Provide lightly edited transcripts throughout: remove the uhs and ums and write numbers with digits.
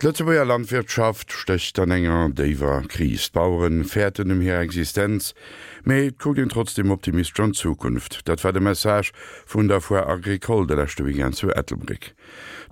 D'Lëtzebuerger Landwirtschaft stécht an enger déiwer Kris. D'Bauere fäerten ëm hir Existenz, mee et kuckt een trotzdeem optimistesch an d'Zukunft. Dat war de Message vun der Foire Agricole de leschte Weekend zu Ettelbréck.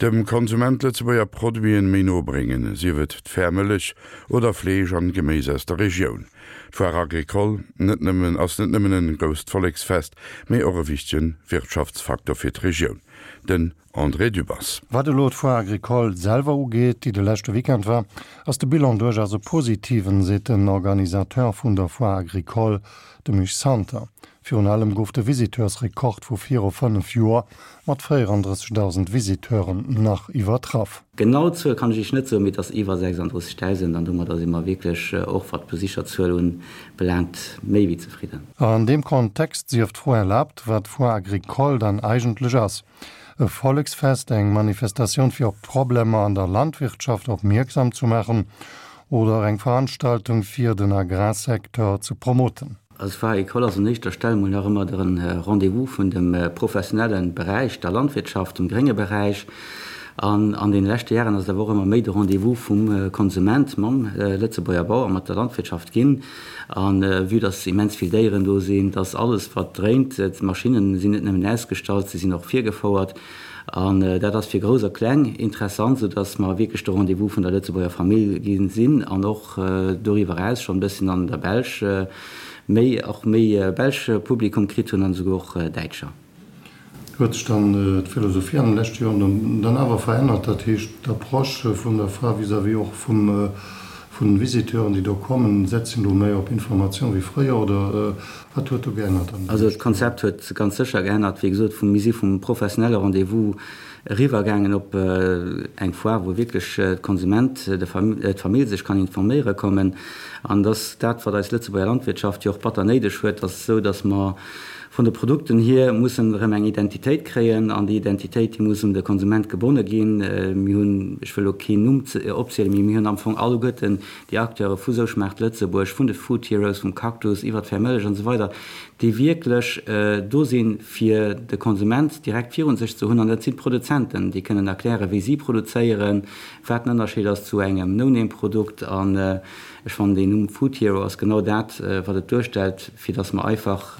Dem Konsument Lëtzebuerger Produiten méi no bréngen, sief et d'fair Mëllech oder Fleesch an Geméis aus der Regioun. D'Foire Agricole net nëmmen ass net nëmmen en grousst Volleksfest, mee och e wichtegen Wirtschaftsfaktor fir d'Regioun. Den André Dübbers. Wat elo d'Foire Agricole selwer ugeet, déi de leschte Weekend war, ass de Bilan duerchaus e positiven, seet den Organisateur vun der Foire Agricole, de Misch Santer. Virun allem gouf de Visiteursrekord vu viru 5 Joer mat 34.000 Visiteuren nach iwwertraff. Genau d'Zuel kann ech Iech net soen, mee et ass iwwer 36.000 an domadder si mer wierklech, och wat d'Besicherzuel unbelaangt, méi wéi zefridden. An deem Kontext sief d'Fro erlaabt, wat d'Foire Agricole dann eigentlech ass. E Volleksfest, eng Manifestatioun fir op d'Problemer an der Landwirtschaft opmierksam zu maachen oder eng Veranstaltung fir den Agrarsecteur ze promoten? Also d'Foire Agricole ass un éischter Stell mol nach ëmmer de Rendez-vous vun dem professionelle Beräich, der Landwirtschaft, dem grénge Beräich. An an deene leschte Jaren ass et awer och ëmmer méi de Rendez-vous vum Konsument mam Lëtzebuerger Bauer, mat der Landwirtschaft ginn. A vue dass immens vill Déieren do sinn, dass alles wat dréint, d'Maschinnen sinn net nëmmen ausgestallt, se sinn och virgefouert. An dat ass fir Grouss a Kleng interessant, sou dass mer wierklech de Rendez-vous vun der Lëtzebuerger Famill gi sinn an och doriwwer eraus schonn e bësschen an der Belsch méi, och méi belsch Publikum kritt hunn an esouguer och Däitscher. Huet sech dann d'Philosophie an de leschte Joren dann awer verännert, dat heescht d'Approche vun der Foire vis-à-vis och vun den Visiteuren, déi do kommen, setzt een do méi op Informatioun wéi fréier oder wat huet do geännert an de Also leschte Joren? d'Konzept huet ganz sécher geännert. Wéi gesot, mir si vum professionelle Rendez-vous eriwwer gaangen op eng Foire, wou wierklech d'Konsument, d'Famill sech kann informéiere kommen. An dass dat, wat eis Lëtzebuerger Landwirtschaft jo och batter néideg huet, ass esou, dass mer Vun de Produkten hier muss en erëm eng Identitéit kréien, an déi Identitéit, déi muss un de Konsument gebonne ginn. Mir hunn, ech wëll elo keen Numm opzielen, mee mir hunn am Fong alleguerten déi Acteure vu Sou schmaacht Lëtzebuerg, vun de Food Heroes, vum Cactus iwwert d'Fair Mëllech an esou weider, déi wierklech do sinn, fir de Konsument direkt virun sech ze hunn. An dat sinn d'Produzenten, déi kënnen erklären, wéi si produzéieren, wat den Ënnerscheed ass zu engem No-Name-Produkt. An ech fannen, deen Numm Food Hero ass genau dat, wat et duerstellt. fir dass mer einfach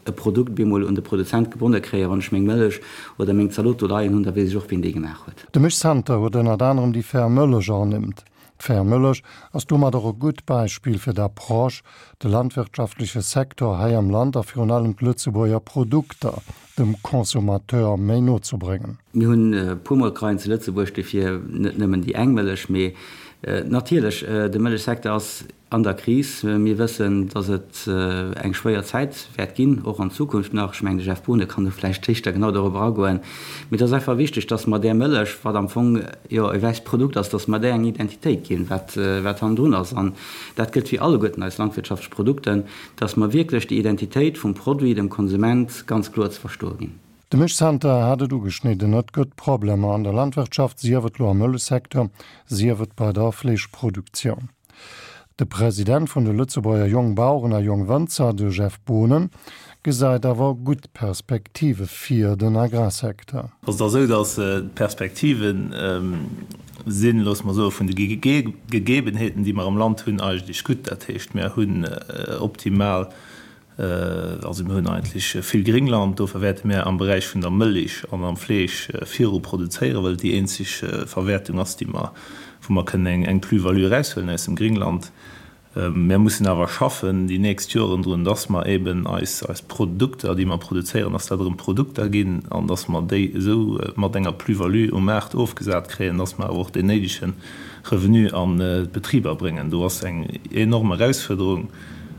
e Produkt bemol un de Produzent gebonne kréien. Wann ech meng Mëllech oder meng Zalot do leien hunn, da weess ech och, wien déi gemaach huet. De Misch Santer huet ënnert anerem déi fair Mëllech ernimmt. D'fair Mëllech ass domat och e gutt Beispill fir d'Approche, de landwirtschaftleche Secteur hei am Land a virun allem d'Lëtzebuerger Produkter dem Consommateur méi no ze bréngen. Mir hunn e puer Molkereien zu Lëtzebuerg, dofir net nëmmen déi eng Mëllech, mee natierlech, de Mëllechsecteur ass An der Kris. Mir wëssen, dass et eng schwéier Zäit wäert ginn, och an Zukunft nach. Ech mengen, de Jeff Boonen kann do vläicht éischter genau dorobber agoen. Mee et ass einfach wichteg, dass mer där Mëllech, wat am Fong jo e wäisst Produkt ass, dass mer där eng Identitéit ginn, wat, wat hannendrun ass. An dat gëllt fir alleguerten eis landwirtschaftlech Produkten, dass mer wierklech déi Identitéit vum Produit dem Konsument ganz kloer ze verstoe ginn. De Misch Santer hat et ugeschnidden, Et gëtt Problemer an der Landwirtschaft, sief et lo am Mëllechsecteur, sief et bei der Fleeschproduktioun. De President vun de Lëtzebuerger Jongbaueren a Jongwënzer, de Jeff Boonen, gesäit awer gutt Perspektive fir den Agrarsecteur. Ass et esou, datt d'Perspektive sinn, loosse mer soe vun de Gegebenheeten, déi mer am Land hunn, eigentlech gutt. Dat heescht, mir hunn optimal Also mir hunn eigentlech vill Gringland, dofir wäerte mir am Beräich vun der Mëlich an am Fleesch viru produzéieren, well et déi eenzeg Verwäertung ass, déi mer, wou mer kënnen eng Plus-value eraushuelen aus dem Gringland. Mir mussen awer schaffen déi nächst Joren drun, dass mer eben eis, eis Produkter, déi mer produzéieren, dass dat erëm Produkter ginn an dass mer déi esou mat enger Plus-value um Maart ofgesat kréien, dass mer awer och deen néidege Revenu an d'Betriber bréngen. Do ass eng enorm Erausfuerderung.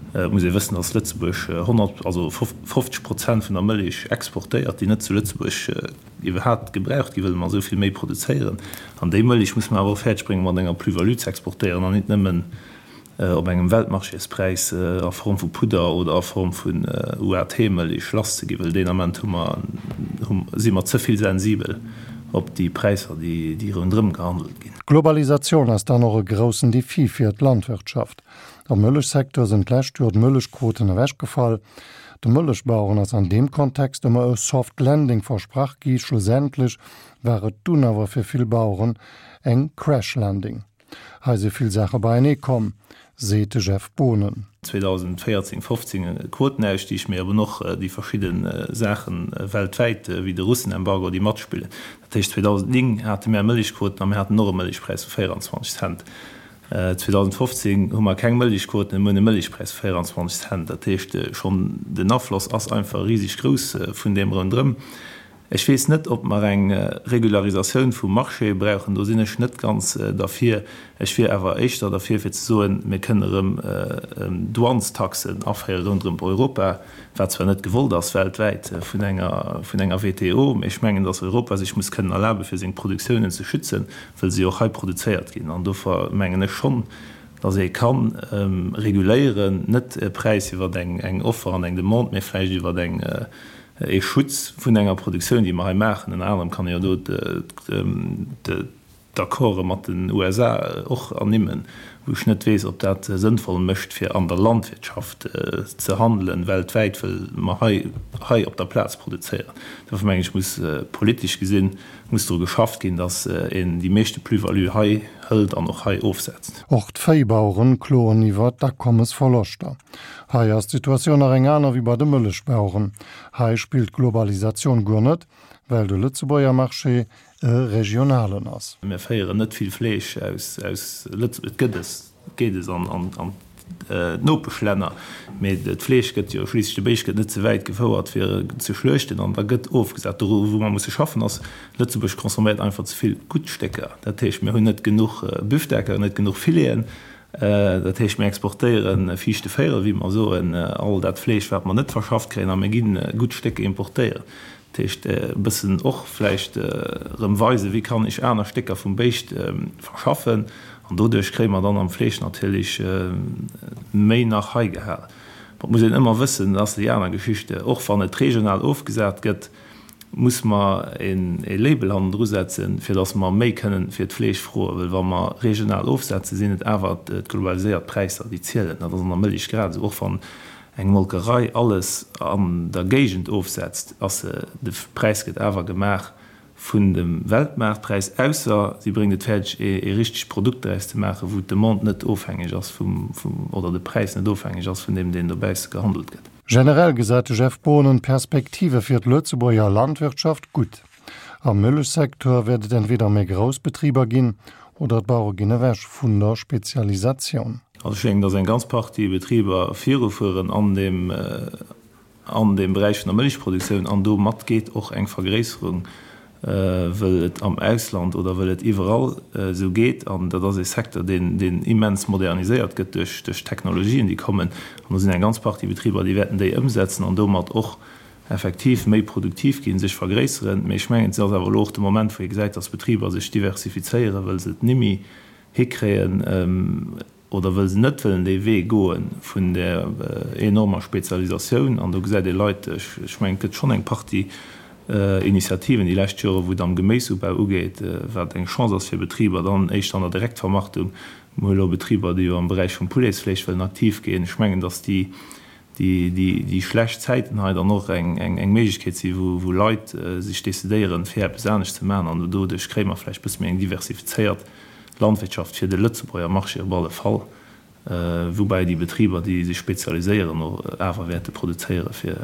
Et muss ee wëssen, datt Lëtzebuerg 100, also 50 Prozent vun der Mëllech exportéiert, déi net zu Lëtzebuerg iwwerhaapt gebraucht gi, wëll mer esou vill méi produzéieren. An déi Mëllech muss mer awer och fäerdeg bréngen, mat enger Plus-value ze exportéieren an nit nëmmen op engem Weltmarchéspräis a Form vu Pudder oder a Form vun UAT-Mëllech lasszeginn, well deen Ament hu mer, si mer ze vill sensibel op déi Präisser, déi ronderëm gehandelt ginn. D'Globalisatioun ass dann och e groussen Defi fir d'Landwirtschaft. Am Mëllechsecteur sinn d'lescht Joer d'Mëllechquoten ewechgefall. De Mëllechbaueren ass an deem Kontext ëmmer e Soft Landing versprach gi, schlussendlech war et dunn awer fir vill Baueren eng Crash Landing. Hei si vill Saache beienee komm, seet de Jeff Boonen. 2014, 15 e Quotenausstieg, mee eben och déi verschidde Saache weltwäit, wéi de Russenembargo, déi matspillen. Dat heescht, 2009 hate mär Mëllechquoten a mir haten och e Mëllechpräis vu 24 Cent. 2015 hu mer keng Mëllechquoten, mir hunn e Mëllechpräis vu 24 Cent. Dat heescht, schonn den Afloss ass einfach riseg grouss vun deem ronderëm. Ech weess net, ob mer eng Regularisatioun vum Marché brauchen. Do sinn ech net ganz derfir. Ech wier awer éischter derfir, fir ze soen, mir kënnen erëm Douanestaxen aféiere ronderëm Europa, wat zwar net gewollt ass weltwäit vun enger, vun enger WTO, mee ech mengen, datt Europa sech muss kënnen erlaben, fir seng Produktiounen ze schützen, wëll se jo och hei produzéiert ginn. An dofir mengen ech schonn, datt ee ka reguléieren, net e Präis iwwer eng Offer an eng Demande, mee vläicht iwwer eng, ee Schutz vun enger Produktioun, déi mer hei maachen. Ënner anerem kann ee jo do d'Accorde mat den USA och ernimmen, wou ech net weess, ob dat sënnvoll mécht, fir an der Landwirtschaft ze handelen weltwäit, wëll mer hei hei op der Plaz produzéieren. Dofir mengen ech, muss politesch gesinn, muss dru geschafft ginn, datt een déi meeschte Plus-value hei hëlt an och hei ofsetzt. Och d'Véibaueren kloen iwwer d'Akommesverloschter. Hei ass d'Situatioun nach eng aner wéi bei de Mëllechbaueren. Hei spillt d'Globalisatioun guer net, well de Lëtzebuerger Marché e regionalen ass. Mir féieren net vill Fleesch aus Lëtzebuerg. Et gëtt es, geet es an d'Nopeschlänner, mee d'Fleesch gëtt jo schliisslech, de Béischt gëtt net ze wäit gefouert fir ze schluechten an da gëtt ofgesat. Do wou mer musse schaffen ass, Lëtzebuerg consomméiert einfach ze vill gutt Stécker. Dat heescht, mir hunn net genuch Büfdecker, net genuch Fileten. Dat heescht, mir exportéiere fiichte Véirel, wéi mer soen, all dat Fleesch, wat mer net verschafft kréien, a mir gi gutt Stécker importéieren. Dat heescht, e bëssen och vläicht erëm weisen, wéi kann ech aner Stécker vum Béischt verschaffen. An doduerch kréie mer dann am Fleesch natierlech méi nach hei gehal. Ma et muss een ëmmer wëssen, dat ass déi aner Geschichte, och wann et regional ofgesat gëtt, muss mer e Label hannendru setzen, fir datt mer méi kënnen fir d'Fleesch froen. Well wa mer regional ofsetzen, sinn et awer d'globaliséiert Präisser, déi zielen. Dat ass an der Mëlich grad esou. Och wann eng Molkerei alles an der Géigend ofsetzt, ass se, de Präis gëtt awer gemaach vun dem Weltmaartpräis, ausser si bréngt et fäerdeg, ee richtegt Produkt draus ze maachen, wou d'Demande net ofhängeg ass vum, oder de Präis net ofhängeg ass vun deem, deen dobausse gehandelt gëtt. Generell gesäit de Jeff Boonen d'Perspektive fir d'Lëtzebuerger Landwirtschaft gutt. Am Mëllechsecteur wäert et entweder méi grouss Betriber ginn oder d'Bauere ginn ewech vun der Spezialisatioun. Also ech mengen, datt eng ganz Partie Betriber virufueren an deem an deem Beräich vun der Mëllechproduktioun an domat geet och eng Vergréisserung wëll et am Ausland oder wëll et iwwerall esou geet. An dat ass ee Secteur, deen, deen immens moderniséiert gëtt duerch, duerch d'Technologien, déi kommen. An do sinn eng ganz Partie Betriber, déi wäerten déi ëmsetzen an domat och effektiv méi produktiv ginn, sech vergréisseren. Mee ech mengen, et ass awer elo och de Moment, wou ee gesäit, dass Betriber sech diversifizéieren, wëll se et nimmi hikréien, oder wëll se net wëllen dee Wee goe vun där enormer Spezialisatioun. An do gesäit ee Leit, ech mengen, et gëtt schonn eng Partie Initiativen déi lescht Jore wou et am Geméisubau ugeet, wat eng Chance ass fir Betriber, dann éischter an der Direktvermarktung. Mir hu elo Betriber, déi jo am Beräich vum Pouletsfleesch wëllen aktiv ginn. Ech mengen, datt déi, déi schlecht Zäiten hei dann och eng Méiglechkeet si wou Leit sech decidéieren, fir eppes anescht ze maachen. An doduerch kréie mer vläicht e bësse méi eng diversifizéiert Landwirtschaft fir de Lëtzebuerger Marché op alle Fall, woubäi déi Betriber, déi sech spezialiséieren, och awer wäerte produzéiere fir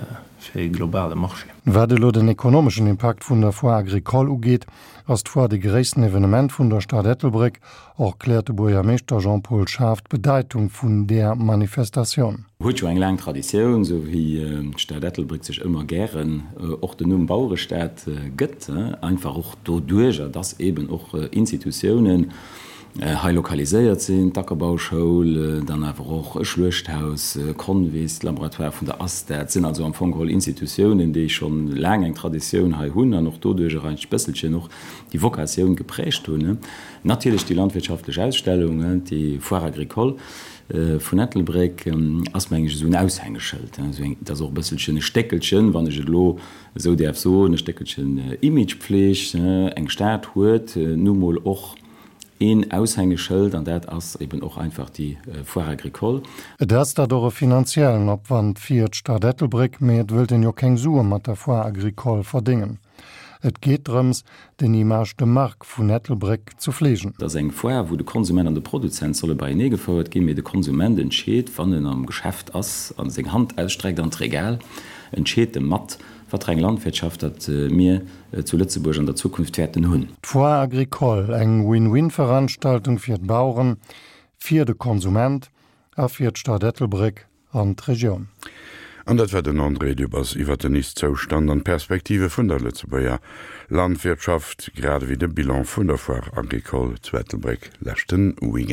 e globale Marché. Wat elo den ekonomeschen Impakt vun der Foire agricole ugeet, ass d'Foire de gréissten Evenement vun der Stad Ettelbréck. Och kläert de Buergermeeschter Jean-Paul Schaaf d'Bedeitung vun där Manifestatioun. Huet jo eng laang Traditioun, esou wéi d'Stad Ettelbréck sech ëmmer gären och den Numm Bauerestad gëtt, einfach och doduerjer, dass eben och Institutiounen hei lokaliséiert sinn, d'Ackerbauschoul, dann awer och e Schluechthaus, Convis, d'Laboratoire vun der ASTA. Et sinn also am Fong geholl Institutiounen, déi scho laang eng Traditioun hei hunn an och doduerjer eigentlech e bësselchen och déi Vokatioun geprägt hunn. Natierlech déi landwirtschaftlech Ausstellung, déi Foire agricole, Vun Ettelbréck ass, meng ech, esou en Aushängeschëld, esou eng, et ass och e bësselchen e Stéckelchen, wann ech et elo esou däerf soen, e Stéckelchen Imagepfleg. Eng Stad huet nu mol och. Een Aushängeschëld, an dat ass eben och einfach déi Foire agricole. Et ass dat och e finanziellen Opwand fir d'Stad Ettelbréck, mee et wëllt een jo keng Sue mat der Foire agricole verdéngen. Et geet drëms, den Image de marque vun Ettelbréck ze fleegen. Et ass eng Foire, wou de Konsument an de Produzent solle beienee gefouert ginn, mee de Konsument entscheet, wann en am Geschäft ass a seng Hand ausstreckt an d'Regal, entscheet e mat, wat fir eng Landwirtschaft datt mir zu Lëtzebuerg an der Zukunft wäerten hunn. D'Foire agricole, eng Win-Win-Veranstaltung fir d'Baueren, fir de Konsument a fir d'Stad Ettelbréck an d'Regioun. An dat war den André Dübbers iwwert den Ist-Zoustand an d'Perspektive vun der Lëtzebuerger Landwirtschaft, grad ewéi de Bilan vun der Foire agricole zu Ettelbréck leschte Weekend.